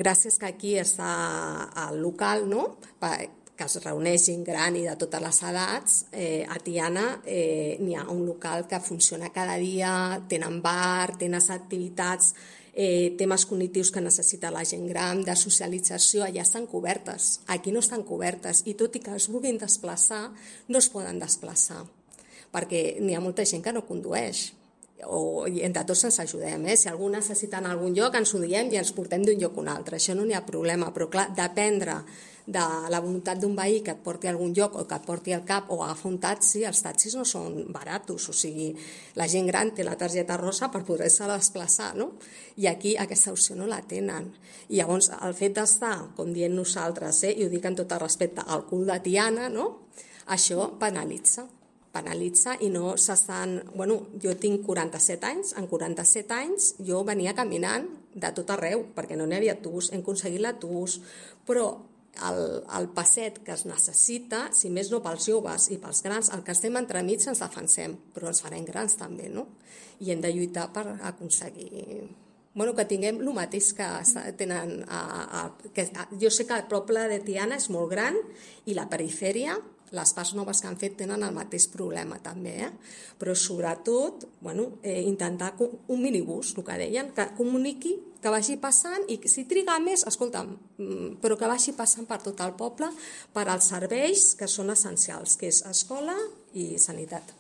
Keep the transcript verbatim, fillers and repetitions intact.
Gràcies que aquí està el local, no?, que es reuneix gent gran i de totes les edats, eh, a Tiana eh, n'hi ha un local que funciona cada dia, tenen bar, tenen activitats, eh, temes cognitius que necessita la gent gran, de socialització, allà estan cobertes, aquí no estan cobertes, i tot i que es vulguin desplaçar, no es poden desplaçar, perquè n'hi ha molta gent que no condueix. O entre tots ens ajudem, eh? Si algú necessita en algun lloc ens ho diem i ens portem d'un lloc a un altre, això no n'hi ha problema, però clar, dependre de la voluntat d'un veí que et porti a algun lloc o que et porti al cap o agafar un taxi, els taxis no són baratos, o sigui, la gent gran té la targeta rosa per poder-se desplaçar, no? I aquí aquesta opció no la tenen. I llavors el fet d'estar, com diem nosaltres, eh, i ho dic amb tot el respecte, al cul de Tiana, no?, això penalitza. penalitza i no s'estan... Bueno, jo tinc quaranta-set anys, en quaranta-set anys jo venia caminant de tot arreu, perquè no n'hi havia autobús, hem aconseguit l'autobús, però el, el passet que es necessita, si més no pels joves i pels grans, el que estem entremig ens defensem, però ens farem grans també, no? I hem de lluitar per aconseguir... Bueno, que tinguem el mateix que tenen... A, a, que, a, jo sé que el poble de Tiana és molt gran i la perifèria, les parts noves que han fet tenen el mateix problema també, eh? Però sobretot bueno, eh, intentar un minibús, el que deien, que comuniqui, que vagi passant i si triga més, escolta'm, però que vagi passant per tot el poble per als serveis que són essencials, que és escola i sanitat.